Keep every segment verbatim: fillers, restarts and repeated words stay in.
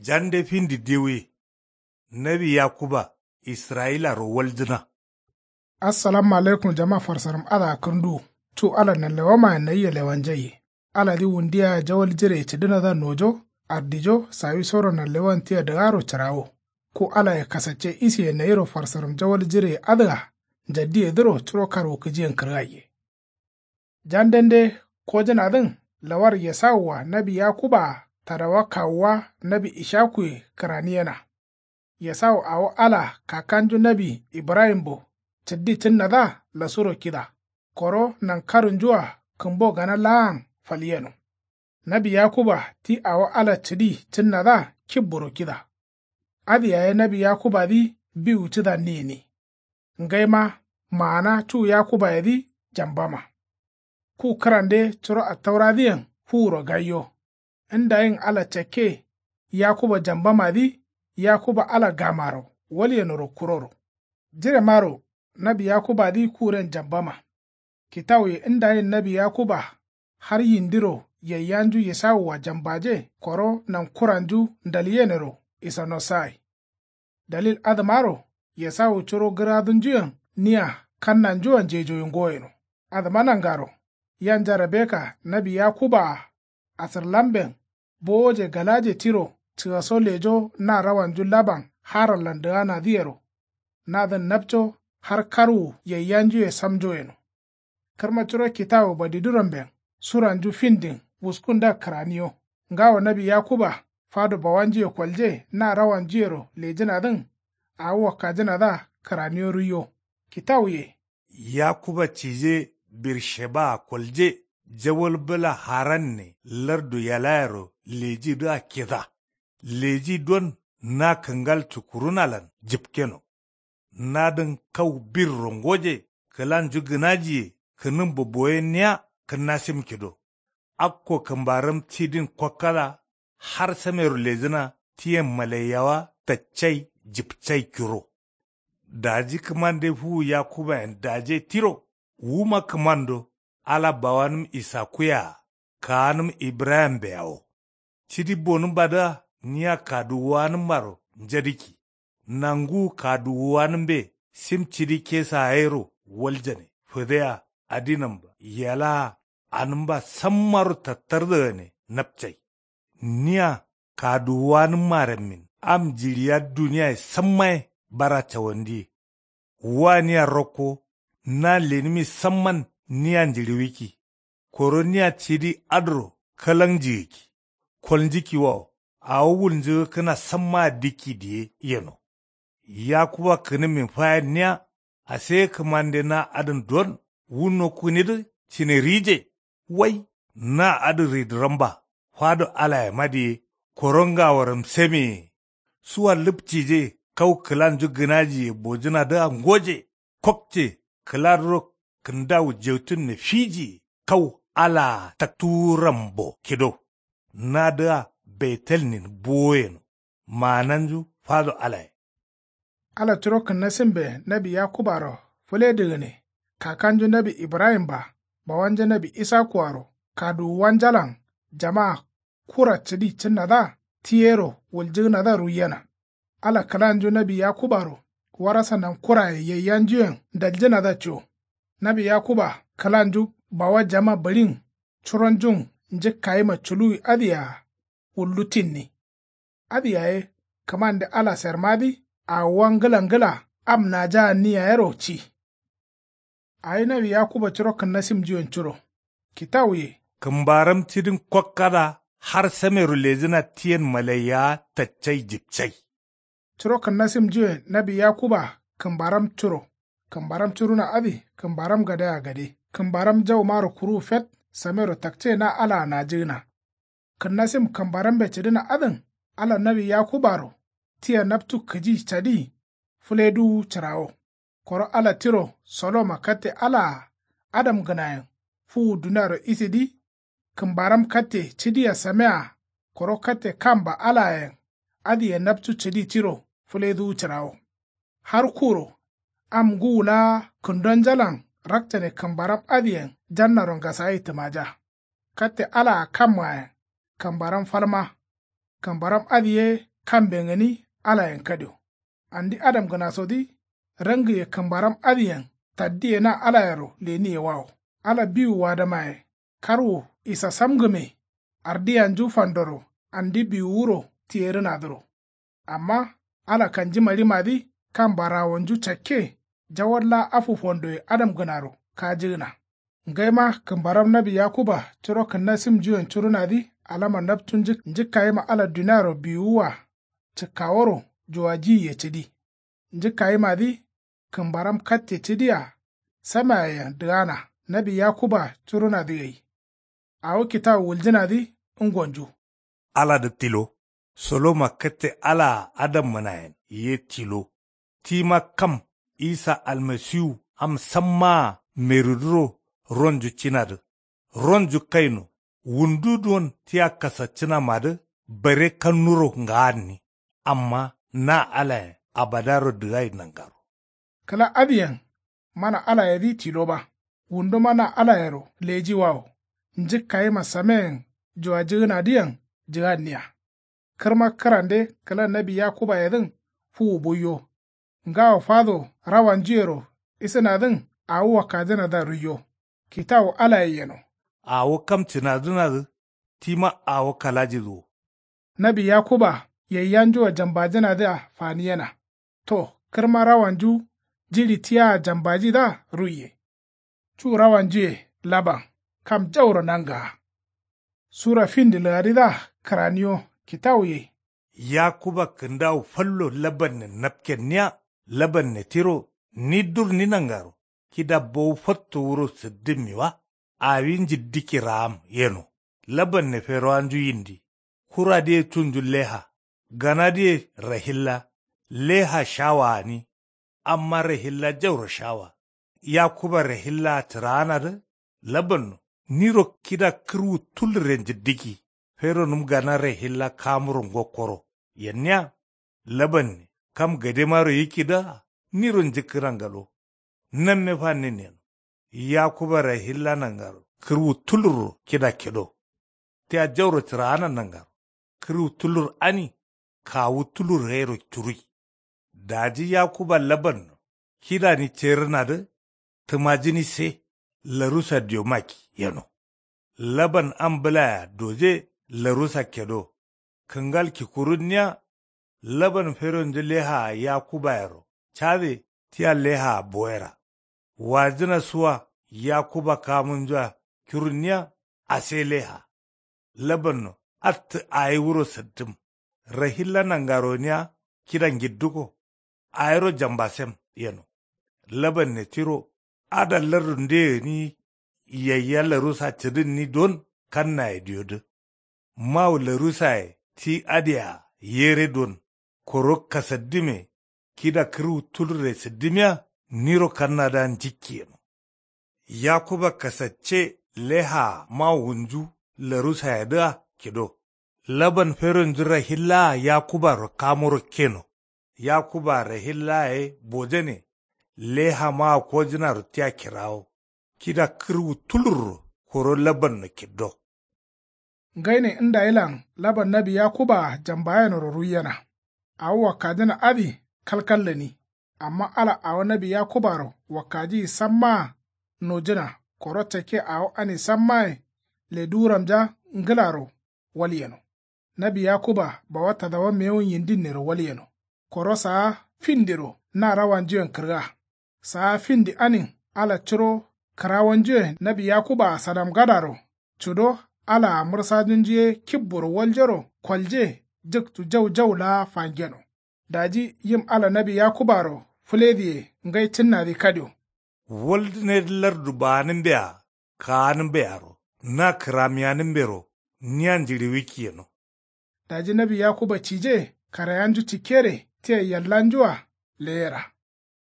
Jande findi dewuye. Nawi yakuba israyilaro waljǝna. Assalamu alaikum jama farsaram adǝa kǝrnduwu. Cu ala nanlewamayen nayia lewanjaiye. Aladǝ wundiya jawal jireye cǝdǝnadǝa nojo, ardijo sawisoro nanlewan tia dǝgaro cǝrawo. Ku alaye kasacce isiye nayiro farsaram jawal jireye adǝa njaddiyedǝro curo karwukǝjiyen kǝrgaiye. Jandende kojǝnadǝn lawar esawua nawi yakubaa tadawa kawuwa nawi ishakuye kǝraniyena. Esawu awo ala kakanju nawi ibrahimbo cǝddi cǝnnadǝa lasuro kida. Koro nankarunjua kǝmbo gana laan falyeno. Nawi yakuba ti awo ala cǝdi cǝnnadǝa kibburo kida. Adǝ yaye nawi yakubadǝ biwu cǝdanni gǝni. Ngaima maana cu yakubayedǝ jambama. Ku kǝrande curo attauradǝyen fuwuro gaiyo. Ndayin ala cakke yakuba jambamadǝ yakuba ala gamaro walyenoro kuroro. Jiremaro nawi yakubadǝ kuren jambama. Kitawuye ndayin nawi yakuba har yindiro yaiyanju esawua jambaje koro nankuranju ndalyenero isanosagai. Dalil adǝmaro esawu curo gǝradunjuyen nia kannanjua njejoyingoyeno. Adǝma nangaro yanja rebeka nawi yakubaa asǝrlamben bowoje galaje tiro cǝgaso lejo na rawanju laban harallan dǝganadǝyero. Nadǝn napco har karwu yaiyanjuye samjo yeno. Kǝrma curo kitawu badiduramben suranju findin wuskundǝa kǝraniyo. Ngawo nawi yakuba fado bawanjuye kolje na rawanjuyero lejǝnadǝn awo wakkajǝnadǝa kǝraniyo ruiyo. Kitawuye. Yakuba cije birshebaa kolje jawal bǝla haranne lardu yalayero lejidǝa kida. Leji don na kǝngal cukurunalan jǝpkeno. Nadǝn kau birro ngoje kǝlanju gǝnajiye kǝnǝmbo boyenniya kǝnnasim kido. Akko kǝmbaram tidin kokkada har samero lejǝna tiyen malaiyawa taccai jǝpcai kiro. Daji kǝmande fuwu yakubayen daje tiro wuma kǝmando ala bawanǝm isakuye-a kaanǝm ibrahimbe-a wo. Cidi bonǝmbadǝa nia kaduwuwanǝmmaro njadǝkki. Nanguwu kaduwuwanǝmbe sim cidi kesa gairo waljane fǝdeya adinamba yelaa anǝmba sammaro tattardǝgane napcai. Nia kaduwuwanǝmma rammin am jiɍiya duniyaye sammaye bara cawandiye. Wania rokko na lenǝmi samman nia njiɍiwikki. Koro nia cidi adǝro kalaŋjigǝkki. Kolnjǝkkiwawo awo wulnjǝgǝkkǝna sammaa dikki diye yeno. Yakuba kǝnǝmmin fayenniya aseye kǝmande na adǝn don wu nokkunidǝ cǝne rije. Wai na adǝ ridǝramba fado alayema diye koro ngaworam sameye. Suwa lǝpcije kau kǝlanju gǝnajiye bojǝnadǝa ngoje. Kokce kǝladǝro kǝndawu jeutunne fijiye kau alaa taktuwurambo kido. Nadǝa betelnin bowoyeno. Maananju fado alaye. Ala curo kǝnnasimbe nawi yakubaro fǝledǝgǝne kakanju nawi ibrahimba bawanja nawi isakuaro kaduwuwanjalan jama kura cǝdi cǝnnadǝa tiyero wuljǝgǝnadǝa ruiyena. Ala kǝlanju nawi yakubaro warasa nankuraye yaiyanjuyen ndaljǝnadǝa co. Nawi yakuba kǝlanju bawa jama bǝɍin curonjun njǝkkayima culuwi adǝyea wullu tinni. Adǝ yaye kǝmande ala sermadǝ awuwa ngǝla ngǝla am najaanni yayero ci. Awi nawi yakuba curo kǝnnasimnjuyen curo. Kitawuye. Kǝmbaram cidin kokkada har samero lejǝna tiyen malaiyawa taccai jipcai. Curo kǝnnasimnjuyen nawi yakuba kǝmbaram curo. Kǝmbaram curuna adǝ kǝmbaram gadea gade kǝmbaram jaumaro kuruwu fet samero takce na alaa najǝgǝna. Kǝnnasim kǝmbarambe cǝdǝna adǝn ala nawi yakubaro tia naptu kǝji cadi fǝleduwu cǝrawo. Koro ala tiro soloma katte alaa adamgǝnayen fuwu duniaro isidǝ. Kǝmbaram katte cǝdia samea koro katte kamba alayen adǝye napcu cǝdi tiro fǝleduwu cǝrawo. Har kuro am ngǝwu laa kǝndonjalan rakcane kǝmbaram adǝyen jannaro ngasagai tǝmaja. Katte alaa kammayen kǝmbaram falma. Kǝmbaram adǝ ye kamben gǝni alayen kadio. Andi adamgǝnasodǝ rangǝye kǝmbaram adǝyen taddiye na alayero leniyewawo. Ala biwu wadamaye karwu isasamgǝme ardiyanju fandoro andi biwuwuro tiyerǝnadǝro. Amma ala kanjimaɍimadǝ kambarawonju cakke jawal laa afu fondoye adamgǝnaro kajǝgǝna. Ngaima kǝmbaram nawi yakuba curo kǝnnasimnjuyen curunadǝ alama napcu njǝkkayima ala duniaro biwuwwa cǝkkaworo juwajiyiye cǝdi. Njǝkkayimadǝ kǝmbaram katte cǝdia samayeyen dǝgana nawi yakuba curunadǝ gai. Awo kitawu wuljǝnadǝ ngonju. Aladǝ tilo. Soloma katte alaa adammǝnayen ye tilo. Tima kam isa almasiwu am sammaa merudǝro ronju cinadǝ. Ronju kaino wundu duwon tia kasaccǝnamadǝ bare kannuro ngaanni. Amma na alayen abadaro dǝgai nangaro. Kǝla adǝyen mana alayedǝ tilo ba. Wunduma na alayero lejiwawo njǝkkayima sameyen juwajǝgǝnadǝyen jǝganniya. Kǝrma kǝrande kǝla nawi yakubayedǝn fuwu buiyo. Ngawo fado rawanjuyero isǝnadǝn awo wakkajǝnadǝa ruiyo. Kitawu alaye yeno. Awo kam cǝnadǝnadǝ tima awo kalajidǝ wo. Nawi yakuba yaiyanjua jambajǝnadǝa faniyena. To kǝrma rawanju jiɍi tiyaa jambajidǝa ruiye. Cu rawanjuye laban kam jauro nangaa. Sura findi lǝgadidǝa kǝraniyo kitawuye. Yakuba kǝndawu fallo labanne napkenniya. Labanne tiro ni durni nangaro kida bowu fatto wuro sǝddǝmmi wa. Awi njiddiki raam yeno. Labanne ferowanju yindi. Kuradǝye cunju leha. Ganadǝye rahilla. Leha shawa gǝni. Amma rahilla jauro shawa. Yakuba rahillaa cǝraanadǝ labanno niro kida kǝrwu tulurre njiddiki. Feronǝm gana rahilla kamuro ngokkoro yenniya. Labanne kam gademaro yikkidǝa niro njǝkkǝna ngalo. Namme fannin yeno. Yakuba rahilla nangaro kǝrwu tulurro kida kido. Tia jauro cǝraana nangaro kǝrwu tulur ani kawu tulur gairo curui. Daji yakuba labanno kidani cerǝnadǝ tǝmajǝni se larusa diomaki yeno. Laban am bǝlaya doje larusa kedo. Kǝngal kikurunniya. Laban feronju lehaa yakubayero cade tia lehaa boyera. Wajǝna suwa yakuba kamunjua kirunniya. Ase leha. Labanno attǝ ayi wuro sǝttǝm. Rahilla nangaroniya kida ngidduko. Ayiro jambasem yeno. Labanne tiro ada lardu nde gǝni yayya larusa cǝdǝnni don kannaye diyodǝ. Mawu larusaye ti adǝyea yere don koro kasaddǝme kida kǝrwu tulurre sǝddǝmiya. Niro kannadǝa njikki yeno. Yakuba kasacce lehaa mawunju larusayedǝa kido. Laban feronju rahillaa yakubaro kamuro keno. Yakuba rahillaye bojane. Leha mawo kojǝnaro tia kirawo kida kǝrwu tulurro koro labanno kiddo. Ngaine ndayilan laban nawi yakubaa jambayenoro ruiyena. Awo wakkajǝna adǝ kalkal gǝni. Amma ala awo nawi yakubaro wakkajiyi sammaa nojǝna koro cakke awo ani sammaye leduwuramja ngǝlaro walyeno. Nawi yakuba bawa tadawa mewun yindinnero walyeno. Koro saa findiro na rawanjuyen kǝrga. Saa findi anin ala curo kǝrawanjuyen nawi yakubaa sadamgadaro cudo alaa mǝrsajunju ye kibboro waljoro kolje jǝktu jau jau laa fangeno. Daji yim ala nawi yakubaro fǝledǝye ngai cǝnnadǝ kadio. Waldǝnedǝ lardu baanǝmbea kaanǝmbearo na kǝramiyanǝmbero nia njiɍiwikki yeno. Daji nawi yakuba cije karayanju cikkere tia yallanjua leyera.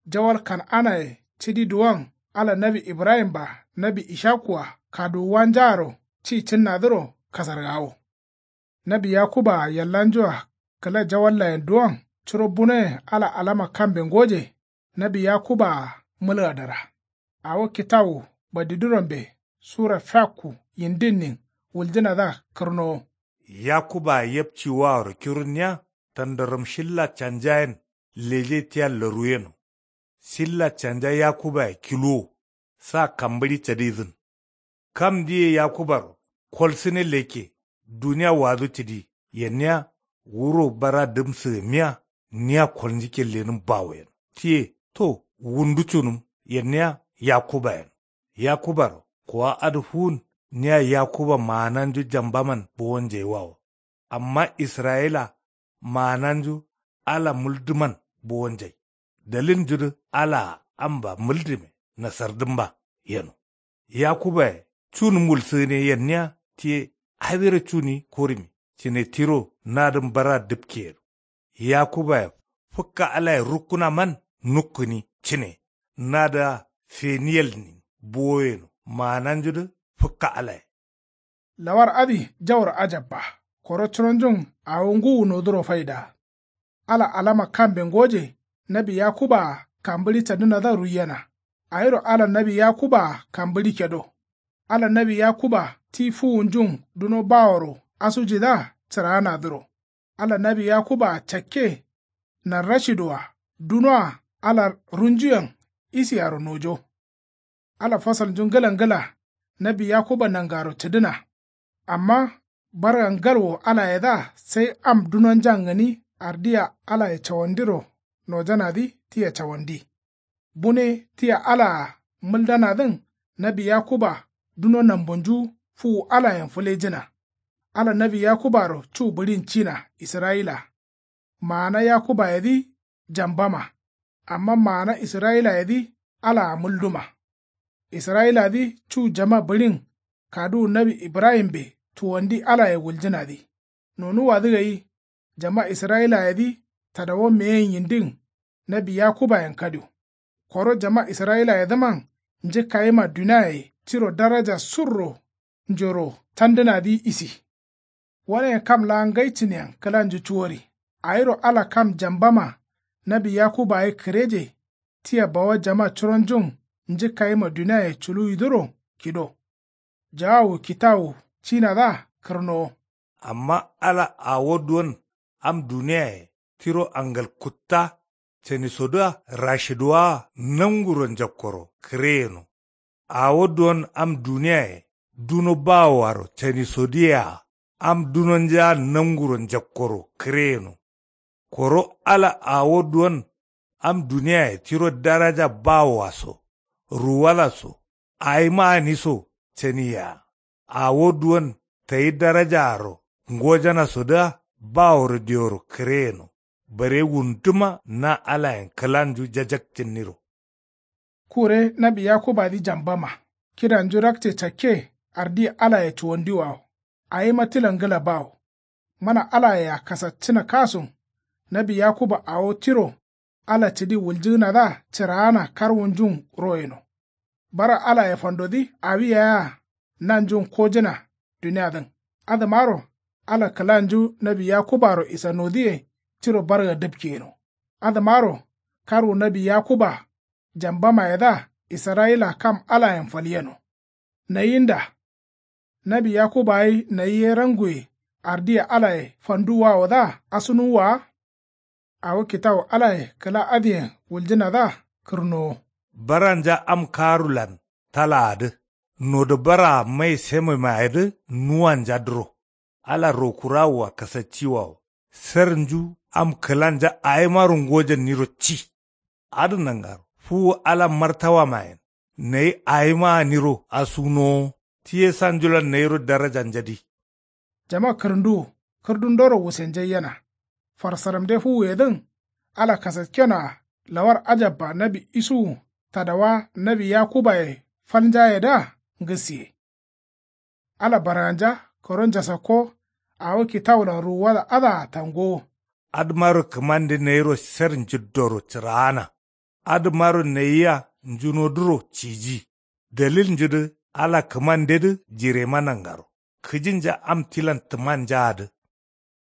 Jawal kan'anaye cidi duwon ala nawi ibrahim-a nawi ishaku-a kaduwuwanjaaro ci cǝnnadǝro kasargawo. Nawi yakuba-a yallanju-a kǝla jawallayen duwon curo bunoyen ala alama kambe ngoje. Nawi yakuba-a mǝlgadara. Awo kitawu badidurambe sura fiakku yindinnin wuljǝnadǝa kǝrnowo. Yakuba-a yepci waaro kirunniya. tandaram shilla canjayen leje tia laru yeno. Shilla canja yakubaye kiluwo sa kambǝɍi cadizǝn. Kam diye yakubaro kolsǝne lekke duniya wadu cǝdi yenniya wuro bara dǝm sǝgǝmmiya niya kolnjikke lenǝm bawo yeno. Tiye to wundu cunǝm yenniya yakuba yeno. Yakubaro kuwa adǝ fuwun niya yakuba maananju jambaman bowonjai wawo. Amma israyila maananju ala mǝldǝman bowonjai. Dalilnjudǝ alaa amba mǝldǝme nasardǝmba yeno. Yakubaye cunǝm wulsǝgǝne yenniya tiye awiro cuni kurumi cǝne tiro nadǝm bara dǝpke yeno. Yakubaye fǝkka alaye rukkunaman nukkǝni cǝne nadǝa feniyelnin bowo yeno maananjudǝ fǝkka alaye. Lawar adǝ jauro ajabba. Koro curonjun awo ngǝwu noduro faidaa. Ala alama kambe ngoje nawi yakubaa kambǝɍi cadǝnadǝa ruiyena. Awiro ala nawi yakubaa kambǝɍi kedo. Ala nawi yakuba ti fuwunjun duno baworo asujidǝa cǝraanadǝro. Ala nawi yakuba cakke narrashidoa dunoa ala runjuyen isiaro nojo. Ala fasalnju ngǝla ngǝla nawi yakuba nangaro cǝdǝna. Amma barga ngalwo alayedǝa sai am dunonjan gǝni ardiya alaye cawandiro nojanadǝ tia cawandi. Bune tia alaa mǝldanadǝn nawi yakuba duno nambunju fuwu alayen fǝlejǝna. Ala nawi yakubaro cu bǝɍin cina israyila. Maana yakubayedǝ jambama. Amma maana israyilayedǝ alaa mǝlduma. Israyiladǝ cu jama bǝɍin kaduwu nawi ibrahimbe cuwandi alaye wuljǝnadǝ. Nonuwwadǝ gai jama israyilayedǝ tadawo meyen yindin nawi yakubayen kadio. Koro jama israyilayedǝman njǝkkayima duniaye tiro daraja surro njoro tandǝnadǝ isi. Waneyen kam laa ngai cǝneyen kǝlanju cuwori. Awiro ala kam jambama nawi yakuba ye kǝreje tia bawa jama curonjun njǝkkayima duniaye culuwidǝro kido. Jawawu kitawu cinadǝa kǝrnowo. Amma ala awo duwon am duniyaye tiro angal kutta canisodǝa rashiduwaa nanguro njakkoro kǝre yeno. Awo duwon am duniyaye duno bawoaro canisodǝyea am dunonjaa nanguro njakkoro kǝre yeno. Koro ala awo duwon am duniyaye tiro daraja bawoa so ruwala so awima gǝni so caniyea. Awo duwon tayi darajaaro ngojanasodǝa baworo dioro kǝre yeno. Bare wunduma na alayen kǝlanju jajakcǝnniro. Kure nawi yakubadǝ jambama kidanju rakce cakke ardiye alaye cuwandiwawo. Awima tilan ngǝla bawo. Mana alayea kasaccǝna kasun nawi yakuba awo tiro ala cǝdi wuljǝgǝnadǝa cǝraana karwunjun ro yeno. Bara alaye fandodǝ awi yayea nanjun kojǝna duniadǝn. Adǝmaro ala kǝlanju nawi yakubaro isanodǝye tiro barga dǝpke yeno. Adǝmaro karwu nawi yakuba jambamayedǝa israyila kam alayen falyeno. Nayinda nawi yakuba ye nayi ye ranguye ardiye alaye fanduwwawodǝa asunuwwa wa. Awo kitawu alaye kǝla adǝyen wuljǝnadǝa kǝrnowo. Baranja am karulan talaadǝ nodo baraa mai sememayedǝ nuwanjadǝro. Ala rokurawoa kasacciwawo sernju am kǝlanja awimaro ngojanniro ci. Adǝ nangaro fuwu ala martawamayen nayi awima gǝniro asunowo. Tiye sanjulan nayiro darajanjadǝ. Jama kǝrǝnduwu kǝrdundoro wusenjaiyena. Farsaramde fuwuyedǝn ala kasakkenoa lawar ajabba nawi isuwu tadawa nawi yakubaye falnjayedǝa ngǝsiye. Ala barganja koro njasakko awo kitawulan ruwuwada adǝa tangowo. Adǝmaro kǝmande nayiro sher njiddoro cǝraana. Adǝmaro nayiya njunodǝro ciji. Dalilnjudǝ ala kǝmandedǝ jirema nangaro kǝjinja am tilan tǝmanjaadǝ